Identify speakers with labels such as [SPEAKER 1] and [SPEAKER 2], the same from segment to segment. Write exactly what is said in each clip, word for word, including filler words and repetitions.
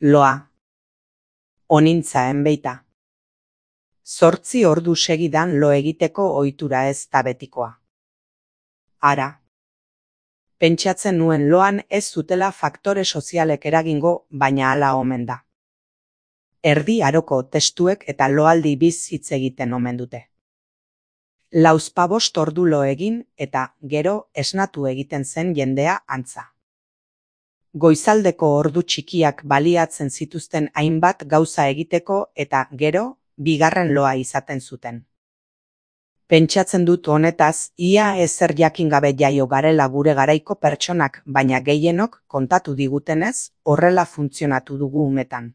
[SPEAKER 1] Loa. Onintza enbeita. Zortzi ordu segidan lo egiteko ohitura ez da betikoa. Ara. Pentsatzen nuen loan ez zutela faktore sozialek eragingo, baina hala omen da. Erdi aroko testuek eta loaldi biz hitz egiten omen dute. Lauzpabost ordu lo egin eta gero esnatu egiten zen jendea antza. Goizaldeko ordu txikiak baliatzen zituzten hainbat gauza egiteko eta gero bigarren loa izaten zuten. Pentsatzen dut honetaz, ia ezer jakin gabe jaio garela gure garaiko pertsonak, baina gehienok kontatu digutenez, horrela funtzionatu dugu umetan.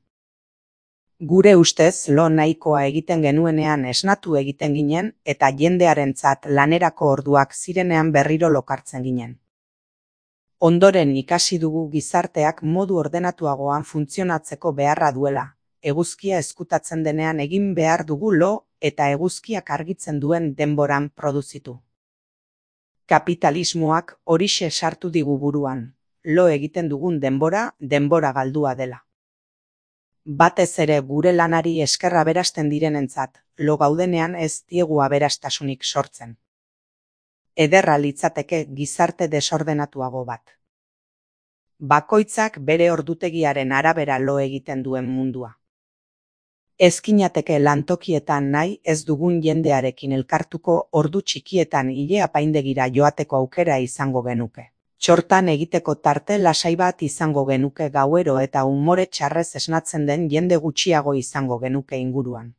[SPEAKER 1] Gure ustez lo nahikoa egiten genuenean esnatu egiten ginen eta jendearentzat lanerako orduak zirenean berriro lokartzen ginen. Ondoren ikasi dugu gizarteak modu ordenatuagoan funtzionatzeko beharra duela, eguzkia ezkutatzen denean egin behar dugu lo eta eguzkiak argitzen duen denboran produzitu. Kapitalismoak horixe sartu digu buruan, lo egiten dugun denbora, denbora galdua dela. Batez ere gure lanari eskerra aberasten direnentzat, lo gaudenean ez diegu aberastasunik sortzen. Ederra litzateke gizarte desordenatuago bat. Bakoitzak bere ordutegiaren arabera lo egiten duen mundua. Ezkinateke lantokietan nahi ez dugun jendearekin elkartuko ordu txikietan ile apaindegira joateko aukera izango genuke. Txortan egiteko tarte lasai bat izango genuke gauero eta umore txarrez esnatzen den jende gutxiago izango genuke inguruan.